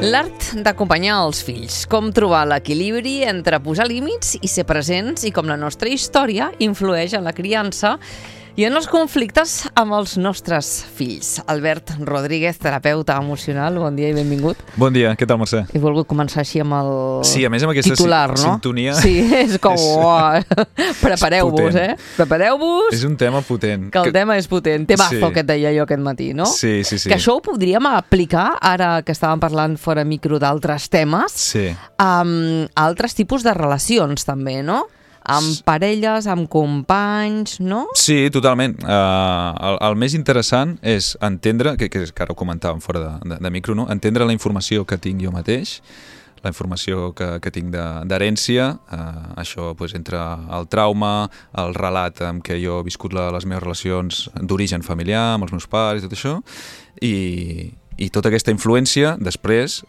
L'art d'acompanyar els fills, com trobar l'equilibri entre posar límits i ser presents i com la nostra història influeix en la criança i en els conflictes amb els nostres fills. Albert Rodríguez, terapeuta emocional, bon dia i benvingut. Bon dia, què tal, Mercè? He volgut començar així amb el sí, a més amb aquesta titular, no? Sintonia. Sí, és com... Prepareu-vos, Prepareu-vos. És un tema potent. Que el tema és potent. Temazo, sí. que et deia jo aquest matí, no? Sí. Que això ho podríem aplicar, ara que estàvem parlant fora micro d'altres temes, sí. A altres tipus de relacions també, no? Amb parelles, amb companys, no? Sí, totalment. El més interessant és entendre, que ara ho comentàvem fora de micro, no? Entendre la informació que tinc jo mateix, la informació que tinc d'herència, això pues, entre el trauma, el relat amb què jo he viscut les meves relacions d'origen familiar, amb els meus pares i tot això, i tota aquesta influència després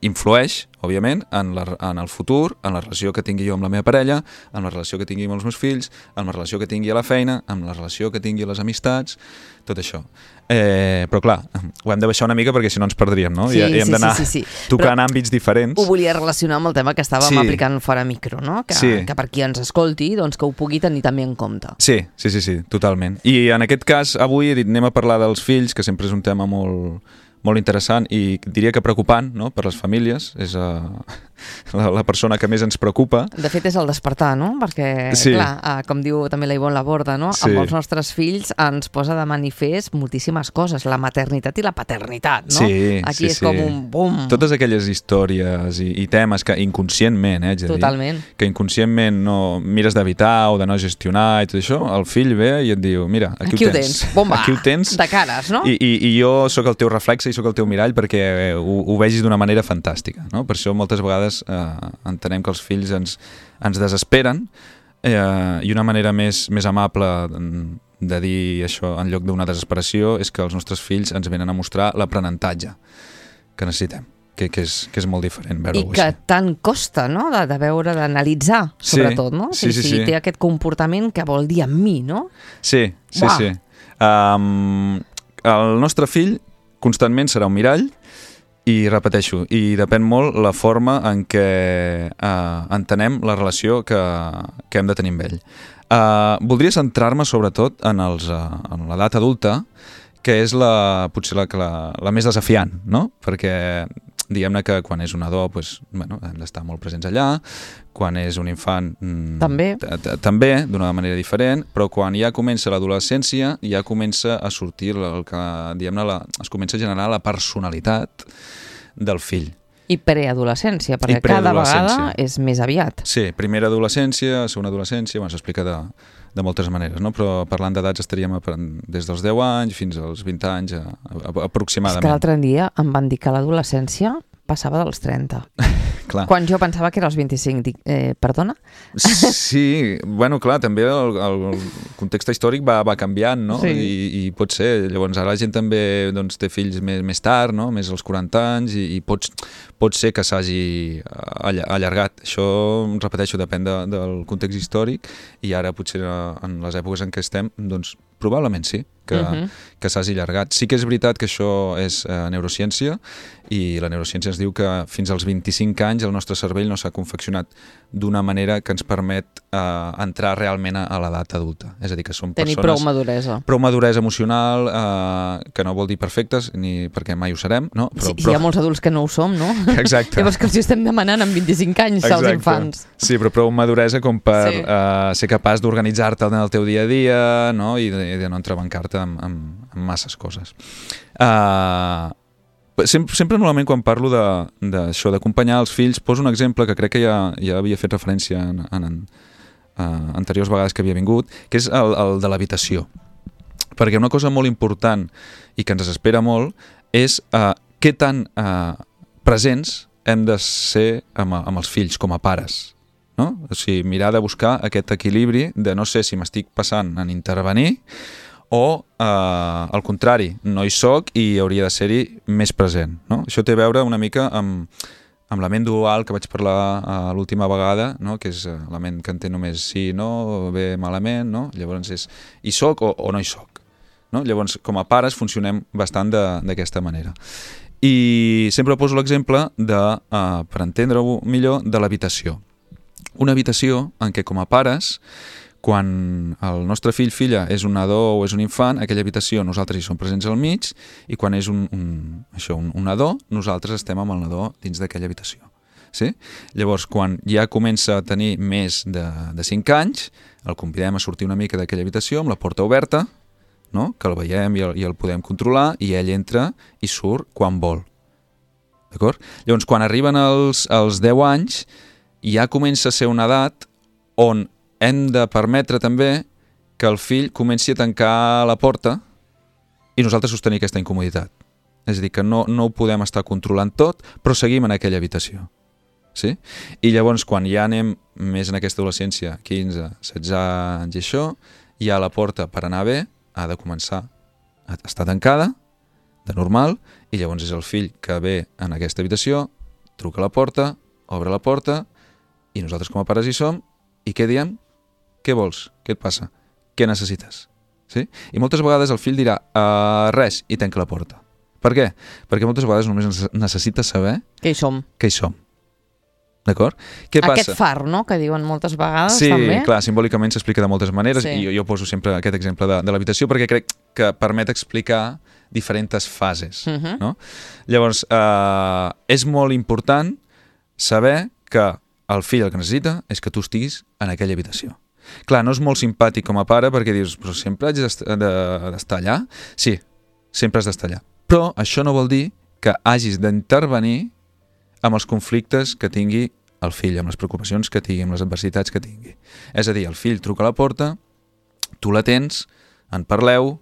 influeix, òbviament, en el futur, en la relació que tingui jo amb la meva parella, en la relació que tingui amb els meus fills, en la relació que tingui a la feina, en la relació que tingui a les amistats, tot això. Però clar, ho hem de baixar una mica perquè si no ens perdríem, no? Sí, I hem d'anar tocant però àmbits diferents. ho volia relacionar amb el tema que estàvem aplicant fora micro, no? Que per qui ens escolti, doncs que ho pugui tenir també en compte. Sí, totalment. I en aquest cas, avui he dit, anem a parlar dels fills, que sempre és un tema molt interessant i diria que preocupant, no?, per les famílies. És la persona que més ens preocupa. De fet, és el despertar, no? Perquè, clar, com diu també la Ivonne Laborda, no? Sí. Amb els nostres fills ens posa de manifest moltíssimes coses, la maternitat i la paternitat, no? Sí, aquí és com un bum. Totes aquelles històries i temes que inconscientment, totalment, que inconscientment no mires d'evitar o de no gestionar i tot això, el fill ve i et diu, mira, aquí ho tens. Bomba, aquí ho tens. De cares, no? I jo sóc el teu reflexe i sóc el teu mirall perquè ho vegis d'una manera fantàstica, no? Per això moltes vegades entenem que els fills ens desesperen i una manera més amable de dir això en lloc d'una desesperació és que els nostres fills ens venen a mostrar l'aprenentatge que necessitem, que és molt diferent veure-ho així. I que tant costa, no?, de veure, d'analitzar, sobretot, no? Sí. Si té aquest comportament, què vol dir amb mi, no? Sí. El nostre fill constantment serà un mirall i repeteixo, i depèn molt la forma en què entenem la relació que hem de tenir amb ell. Voldria centrar-me sobretot en l'edat adulta, que és potser la més desafiant, no? Perquè diguem-ne que quan és un nadó hem d'estar molt presents allà, quan és un infant també d'una manera diferent, però quan ja comença l'adolescència ja comença a sortir es comença a generar la personalitat del fill. I preadolescència, perquè cada vegada és més aviat. Sí, primera adolescència, segona adolescència, s'explica de moltes maneres, no? Però parlant d'edats estaríem des dels 10 anys fins als 20 anys aproximadament. És que l'altre dia em van dir que l'adolescència passava dels 30. Clar. Quan jo pensava que era els 25. Dic, perdona? Sí, clar, també el context històric va canviant, no? Sí. I pot ser. Llavors ara la gent també té fills més tard, no? Més als 40 anys, i pot ser que s'hagi allargat. Això, repeteixo, depèn del context històric, i ara potser en les èpoques en què estem, doncs probablement sí, que s'hagi allargat. Sí que és veritat que això és neurociència, i la neurociència ens diu que fins als 25 anys el nostre cervell no s'ha confeccionat d'una manera que ens permet entrar realment a l'edat adulta. És a dir, que som persones... Tenir prou maduresa. Prou maduresa emocional, que no vol dir perfectes, ni perquè mai ho serem, no? Però hi ha molts adults que no ho som, no? Exacte. Llavors que els estem demanant amb 25 anys als infants. Sí, però prou maduresa com per ser capaç d'organitzar-te en el teu dia a dia, no? I de no entrebancar-te amb masses coses. Sempre normalment quan parlo d'això, d'acompanyar els fills, poso un exemple que crec que ja havia fet referència en anteriors vegades que havia vingut, que és el de l'habitació. Perquè una cosa molt important i que ens desespera molt és què tan presents hem de ser amb els fills com a pares, no? O sigui, mirar de buscar aquest equilibri de no sé si m'estic passant en intervenir o, al contrari, no hi soc i hauria de ser-hi més present, no? Això té a veure una mica amb la ment dual que vaig parlar l'última vegada, no? Que és la ment que entén només sí, no, bé, malament, no? Llavors és hi soc o no hi soc, no? Llavors, com a pares funcionem bastant d'aquesta manera. I sempre poso l'exemple per entendre-ho millor, de l'habitació. Una habitació en què com a pares, quan el nostre fill, filla, és un nadó o és un infant, aquella habitació nosaltres hi som presents al mig, i quan és un nadó, nosaltres estem amb el nadó dins d'aquella habitació. Sí? Llavors, quan ja comença a tenir més de 5 anys, el convidem a sortir una mica d'aquella habitació amb la porta oberta, no? Que el veiem i el podem controlar, i ell entra i surt quan vol. D'acord? Llavors, quan arriben els 10 anys, ja comença a ser una edat on hem de permetre també que el fill comenci a tancar la porta i nosaltres sostenir aquesta incomoditat. És a dir, que no ho podem estar controlant tot, però seguim en aquella habitació. Sí? I llavors, quan ja anem més en aquesta adolescència, 15, 16 anys i això, ja la porta per anar bé ha de començar a estar tancada, de normal, i llavors és el fill que ve en aquesta habitació, truca a la porta, obre la porta, i nosaltres com a pares hi som, i què diem? Què vols? Què et passa? Què necessites? Sí? I moltes vegades el fill dirà res i tanca la porta. Per què? Perquè moltes vegades només necessita saber que hi som. D'acord? Què passa? Aquest far, no?, que diuen moltes vegades, sí, també. Sí, clar, simbòlicament s'explica de moltes maneres, sí. I jo poso sempre aquest exemple de l'habitació perquè crec que permet explicar diferents fases. No? Llavors, és molt important saber que el fill el que necessita és que tu estiguis en aquella habitació. Clar, no és molt simpàtic com a pare perquè dius, però sempre haig d'estar allà? Sí, sempre has d'estar allà. Però això no vol dir que hagis d'intervenir amb els conflictes que tingui el fill, amb les preocupacions que tingui, amb les adversitats que tingui. És a dir, el fill truca a la porta, tu l'atens, en parleu,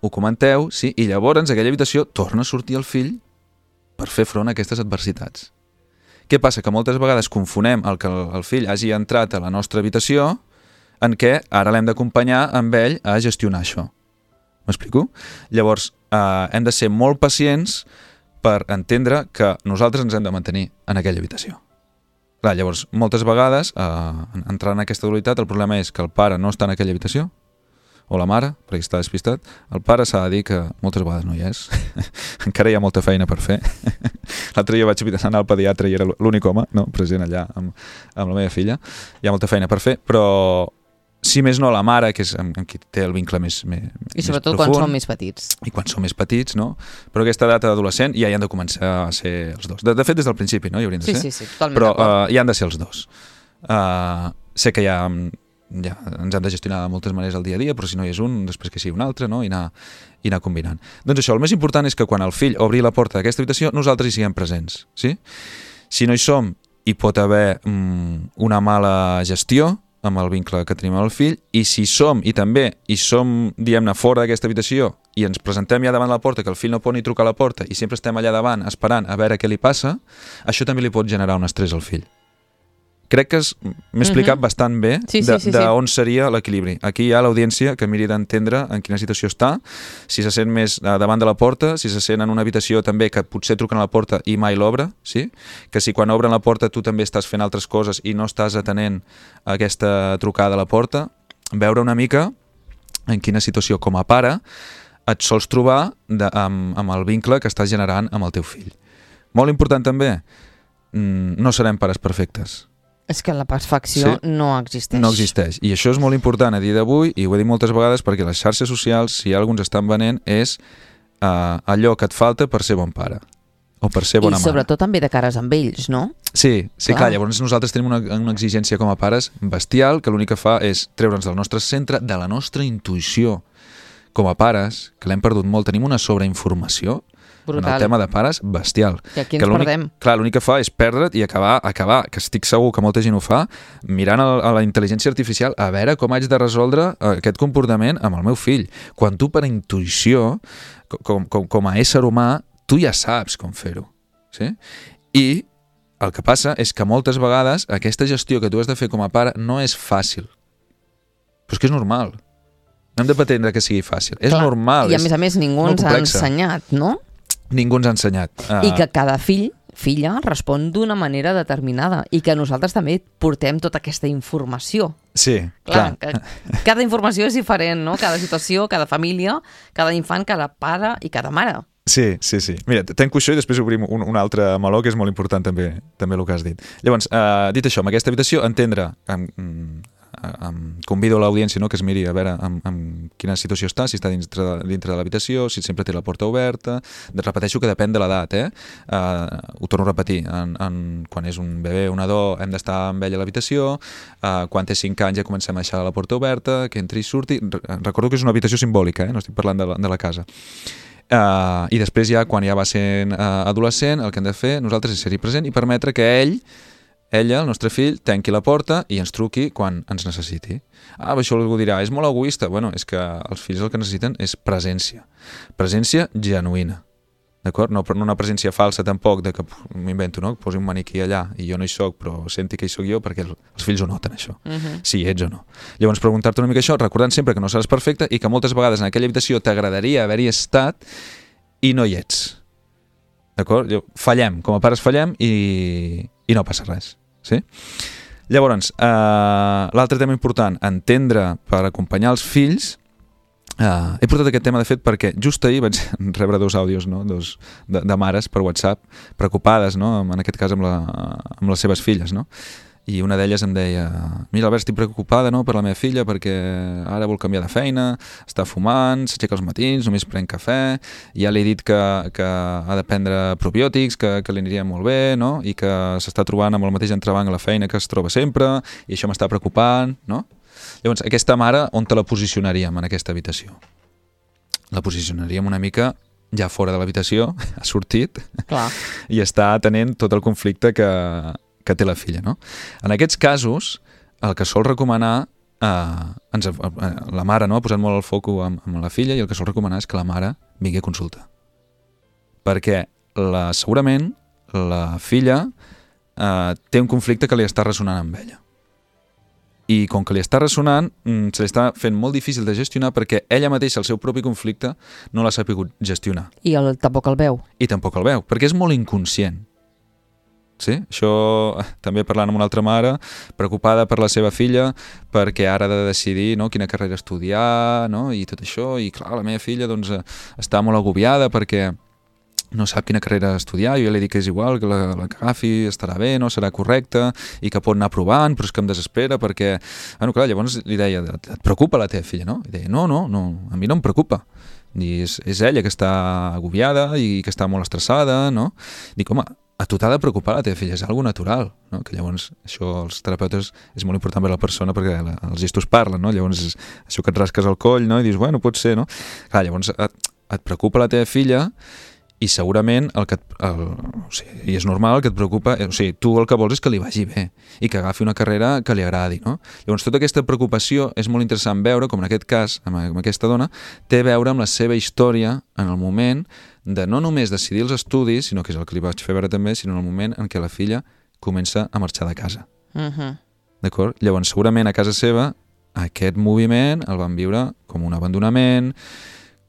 ho comenteu, sí? I llavors aquella habitació torna a sortir el fill per fer front a aquestes adversitats. Què passa? Que moltes vegades confonem el que el fill hagi entrat a la nostra habitació en què ara l'hem d'acompanyar amb ell a gestionar això. M'explico? Llavors, hem de ser molt pacients per entendre que nosaltres ens hem de mantenir en aquella habitació. Clar, llavors, moltes vegades, entrant en aquesta dualitat, el problema és que el pare no està en aquella habitació, o la mare, perquè està despistat. El pare s'ha de dir que moltes vegades no hi és. Encara hi ha molta feina per fer. L'altre dia vaig anar al pediatre i era l'únic home, no, present allà amb la meva filla. Hi ha molta feina per fer, però si més no la mare, que és amb qui té el vincle més i sobretot profund, quan són més petits. I quan són més petits, no? Però aquesta edat adolescent ja hi han de començar a ser els dos. De fet, des del principi, no? Hi haurien de ser. Sí, totalment però d'acord. hi han de ser els dos. Sé que ja ens hem de gestionar de moltes maneres el dia a dia, però si no hi és un, després que sigui un altre, no? I anar combinant. Doncs això, el més important és que quan el fill obri la porta d'aquesta habitació, nosaltres hi siguem presents. Sí? Si no hi som, hi pot haver una mala gestió amb el vincle que tenim amb el fill, i si som, i també hi som, diguem-ne, fora d'aquesta habitació i ens presentem ja davant la porta, que el fill no pot ni trucar a la porta i sempre estem allà davant esperant a veure què li passa, això també li pot generar un estrès al fill. Crec que m'he explicat bastant bé d'on seria l'equilibri. Aquí hi ha l'audiència que miri d'entendre en quina situació està, si se sent més davant de la porta, si se sent en una habitació també que potser truquen a la porta i mai l'obre, sí? Que si quan obren la porta tu també estàs fent altres coses i no estàs atenent a aquesta trucada a la porta, veure una mica en quina situació com a pare et sols trobar amb el vincle que estàs generant amb el teu fill. Molt important també, no serem pares perfectes. És que la perfecció no existeix. No existeix. I això és molt important a dia d'avui, i ho he dit moltes vegades, perquè les xarxes socials, si alguns estan venent, és allò que et falta per ser bon pare o per ser bona mare. I sobretot també de cares amb ells, no? Sí, clar. Llavors nosaltres tenim una exigència com a pares bestial, que l'únic que fa és treure'ns del nostre centre, de la nostra intuïció. Com a pares, que l'hem perdut molt, tenim una sobreinformació brutal. En el tema de pares, bestial. I aquí ens perdem. Clar, l'únic que fa és perdre't i acabar, que estic segur que molta gent ho fa, mirant a la intel·ligència artificial a veure com haig de resoldre aquest comportament amb el meu fill. Quan tu per intuïció, com a ésser humà, tu ja saps com fer-ho. Sí? I el que passa és que moltes vegades aquesta gestió que tu has de fer com a pare no és fàcil. Però és que és normal. No hem de pretendre que sigui fàcil. És normal. I a més ningú ens ha ensenyat, no? Ningú ens ha ensenyat. I que cada filla respon d'una manera determinada i que nosaltres també portem tota aquesta informació. Sí, clar. Cada informació és diferent, no? Cada situació, cada família, cada infant, cada pare i cada mare. Sí. Mira, tanco això i després obrim un altre meló que és molt important també el que has dit. Llavors, dit això, amb aquesta habitació, entendre, convido l'audiència, no?, que es miri a veure en quina situació està, si està dintre de l'habitació, si sempre té la porta oberta. Repeteixo que depèn de l'edat, ho torno a repetir, quan és un bebè o un nadó hem d'estar amb ell a l'habitació, quan té 5 anys ja comencem a deixar la porta oberta, que entri i surti. Recordo que és una habitació simbòlica, no estic parlant de la casa. I després ja, quan ja va sent adolescent, el que hem de fer nosaltres és ser-hi present i permetre que ella, el nostre fill, tanqui la porta i ens truqui quan ens necessiti. Això algú dirà, és molt egoista. Bueno, és que els fills el que necessiten és presència genuïna, d'acord? No una presència falsa tampoc, de que m'invento, no?, que posi un maniquí allà i jo no hi soc, però senti que hi soc jo, perquè els fills ho noten, això, si ets o no. Llavors, preguntar-te una mica això, recordant sempre que no seràs perfecte i que moltes vegades en aquella habitació t'agradaria haver-hi estat i no hi ets, d'acord? Fallem, com a pares fallem i no passa res, sí? Llavors, l'altre tema important, entendre per acompanyar els fills. He portat aquest tema, de fet, perquè just ahir vaig rebre 2 àudios, no?, de mares per WhatsApp, preocupades, no?, en aquest cas amb les seves filles, no? I una d'elles em deia, mira, Albert, estic preocupada, no?, per la meva filla perquè ara vol canviar de feina, està fumant, s'aixeca als matins, només pren cafè, ja li he dit que ha de prendre probiòtics, que li aniria molt bé, no?, i que s'està trobant amb el mateix entrebanc a la feina que es troba sempre, i això m'està preocupant, no? Llavors, aquesta mare, on te la posicionaríem en aquesta habitació? La posicionaríem una mica ja fora de l'habitació, ha sortit, clar, i està atenent tot el conflicte que té la filla, no? En aquests casos, el que sol recomanar, la mare, no?, ha posat molt el foc amb la filla, i el que sol recomanar és que la mare vingui a consulta. Perquè segurament la filla té un conflicte que li està ressonant amb ella. I com que li està ressonant, se li està fent molt difícil de gestionar perquè ella mateixa, el seu propi conflicte, no l'ha sabut gestionar. I tampoc el veu. I tampoc el veu, perquè és molt inconscient. Sí? Això també parlant amb una altra mare, preocupada per la seva filla, perquè ara ha de decidir, no?, quina carrera estudiar, no?, i tot això, i clar, la meva filla doncs, està molt agobiada perquè no sap quina carrera estudiar. Jo li dic que és igual, que la que agafi estarà bé, no serà correcta, i que pot anar provant, però és que em desespera perquè... Bueno, clar, llavors li deia, et preocupa la teva filla, no? I deia, no, a mi no em preocupa. I és ella que està agobiada i que està molt estressada, no? Dic, home, a tu t'ha de preocupar la teva filla, és algo natural, no? Que llavors això els terapeutes és molt important per a la persona perquè els gestos parlen, no? Llavors això que et rasques el coll, no? I dius, bueno, pot ser, no? Clar, llavors et preocupa la teva filla i segurament i és normal que et preocupa, tu el que vols és que li vagi bé i que agafi una carrera que li agradi, no? Llavors tota aquesta preocupació és molt interessant veure, com en aquest cas, amb aquesta dona, té a veure amb la seva història en el moment de no només decidir els estudis, sinó que és el que li vaig fer veure també, sinó en el moment en què la filla comença a marxar de casa. D'acord? Llavors segurament a casa seva aquest moviment el van viure com un abandonament,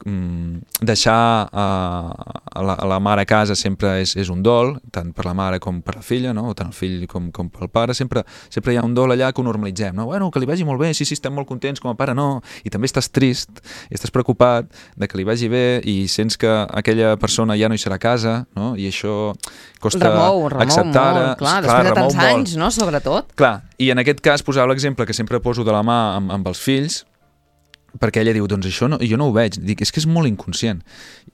deixar la mare a casa sempre és un dol, tant per la mare com per la filla, no? O tant el fill com pel pare, sempre hi ha un dol allà que ho normalitzem, no? Bueno, que li vagi molt bé, sí, estem molt contents com a pare, no, i també estàs trist i estàs preocupat de que li vagi bé i sents que aquella persona ja no hi serà a casa, no? I això costa acceptar molt, clar, després de tants anys, no?, sobretot. Clar, i en aquest cas posava l'exemple que sempre poso de la mà amb els fills, perquè ella diu, doncs això no, jo no ho veig. Dic, és que és molt inconscient.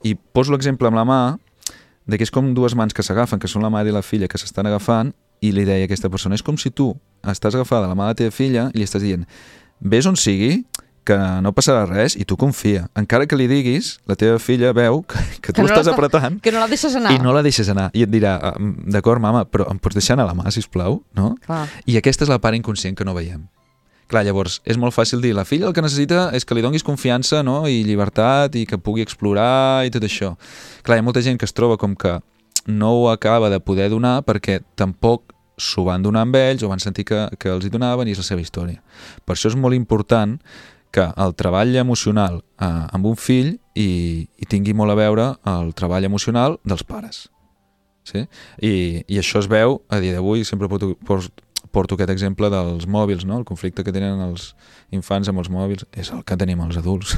I poso l'exemple amb la mà, de que és com 2 mans que s'agafen, que són la mare i la filla que s'estan agafant, i li deia a aquesta persona, és com si tu estàs agafada la mà de la teva filla i li estàs dient, ves on sigui, que no passarà res, i tu confia. Encara que li diguis, la teva filla veu que tu estàs apretant... Que no la deixes anar. I no la deixes anar. I et dirà, d'acord, mama, però em pots deixar anar la mà, sisplau? No? Clar. I aquesta és la part inconscient que no veiem. Clar, llavors, és molt fàcil dir, la filla el que necessita és que li donis confiança, no?, i llibertat, i que pugui explorar i tot això. Clar, hi ha molta gent que es troba com que no ho acaba de poder donar perquè tampoc s'ho van donar amb ells o van sentir que els hi donaven i és la seva història. Per això és molt important que el treball emocional amb un fill i tingui molt a veure el treball emocional dels pares. Sí? I això es veu, a dia d'avui, sempre porto aquest exemple dels mòbils, no? El conflicte que tenen els infants amb els mòbils és el que tenim els adults.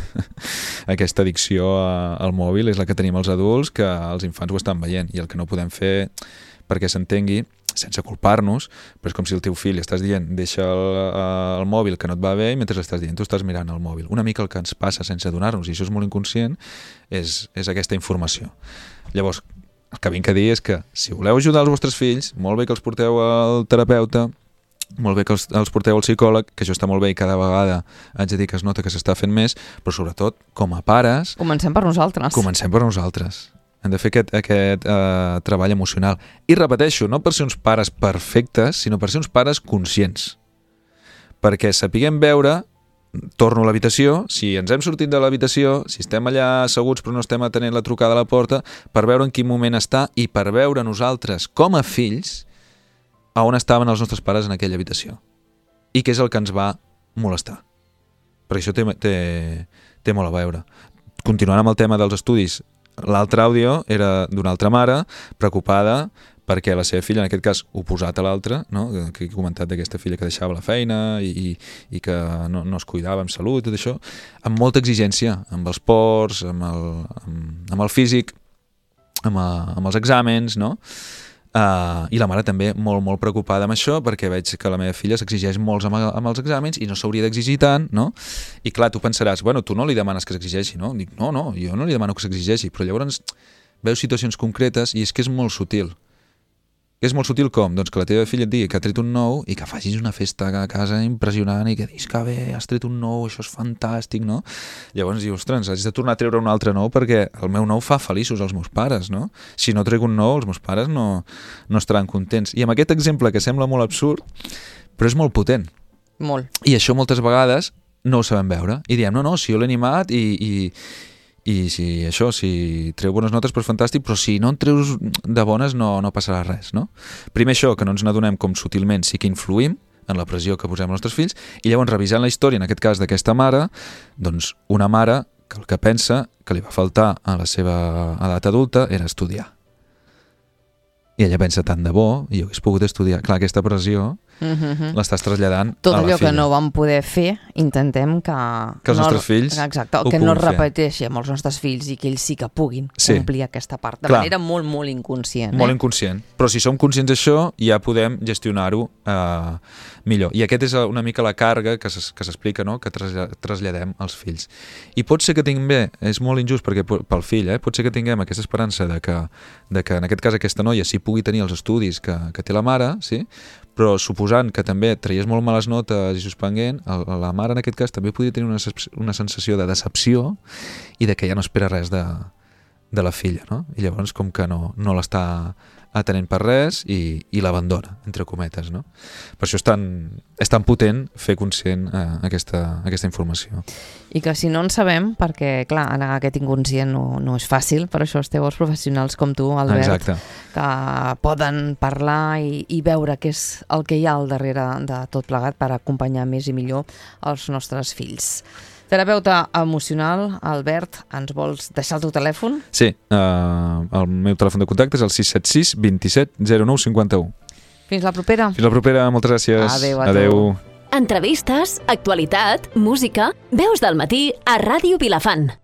Aquesta addicció al mòbil és la que tenim els adults, que els infants ho estan veient, i el que no podem fer perquè s'entengui, sense culpar-nos, però és com si el teu fill estàs dient deixa el mòbil que no et va bé i mentre l'estàs dient tu estàs mirant el mòbil. Una mica el que ens passa sense adonar-nos, i això és molt inconscient, és aquesta informació. Llavors, el que vinc a dir és que si voleu ajudar els vostres fills, molt bé que els porteu al terapeuta, molt bé que els porteu al psicòleg, que això està molt bé i cada vegada haig de dir que es nota que s'està fent més, però sobretot, com a pares... Comencem per nosaltres. Comencem per nosaltres. Hem de fer aquest treball emocional. I repeteixo, no per ser uns pares perfectes, sinó per ser uns pares conscients. Perquè sapiguem veure, torno a l'habitació, si ens hem sortit de l'habitació, si estem allà asseguts però no estem atenent la trucada a la porta, per veure en quin moment està i per veure nosaltres, com a fills, a on estaven els nostres pares en aquella habitació. I què és el que ens va molestar. Perquè això té molt a veure. Continuant amb el tema dels estudis, l'altre àudio era d'una altra mare preocupada perquè la seva filla, en aquest cas oposat a l'altra, no? Que he comentat d'aquesta filla que deixava la feina i que no es cuidava amb salut, tot això, amb molta exigència, amb els ports, amb el físic, amb els exàmens, no? I la mare també molt preocupada amb això perquè veig que la meva filla s'exigeix molts amb els exàmens i no s'hauria d'exigir tant, no? I clar, tu pensaràs, bueno, tu no li demanes que s'exigeixi, no? Dic, no, jo no li demano que s'exigeixi, però llavors veus situacions concretes i és que és molt sutil. Que és molt sutil com? Doncs que la teva filla et digui que ha tret un 9 i que facis una festa a casa impressionant i que diguis que bé, has tret un 9, això és fantàstic, no? Llavors dius, ostres, haig de tornar a treure un altre 9 perquè el meu 9 fa feliços als meus pares, no? Si no trec un 9, els meus pares no estaran contents. I amb aquest exemple que sembla molt absurd, però és molt potent. Molt. I això moltes vegades no ho sabem veure. I diem, no, si jo l'he animat i si treu bones notes, però és fantàstic, però si no en treus de bones no passarà res, no? Primer això, que no ens n'adonem com sutilment sí que influïm en la pressió que posem als nostres fills, i llavors revisant la història, en aquest cas d'aquesta mare, doncs una mare que el que pensa que li va faltar a la seva edat adulta era estudiar. I ella pensa, tant de bo, i jo hagués pogut estudiar. Clar, aquesta pressió l'estàs traslladant a la filla. Tot allò que no vam poder fer, intentem que els nostres fills que no es repeteixi amb els nostres fills i que ells sí que puguin complir aquesta part de manera molt inconscient. Molt inconscient. Però si som conscients d'això, ja podem gestionar-ho millor. I aquest és una mica la càrrega que s'explica, no? Que traslladem als fills. I pot ser que tinguem, és molt injust perquè pel fill, pot ser que tinguem aquesta esperança de que en aquest cas aquesta noia sí pugui tenir els estudis que té la mare, sí? Però suposant que també traies molt males notes i suspenguent, la mare en aquest cas també podria tenir una sensació de decepció i de que ja no espera res de la filla, no? I llavors com que no l'està atenent per res i l'abandona, entre cometes, no? Per això és tan potent fer conscient aquesta informació. I que si no en sabem, perquè clar, anar aquest inconscient no és fàcil, per això esteu els professionals com tu, Albert, exacte, que poden parlar i veure què és el que hi ha al darrere de tot plegat per acompanyar més i millor els nostres fills. Terapeuta emocional, Albert, ens vols deixar el teu telèfon? Sí, el meu telèfon de contacte és el 676 27 09 51. Fins la propera. Fins la propera, moltes gràcies. Adéu. Entrevistes, actualitat, música, veus del matí a Ràdio Vilafant.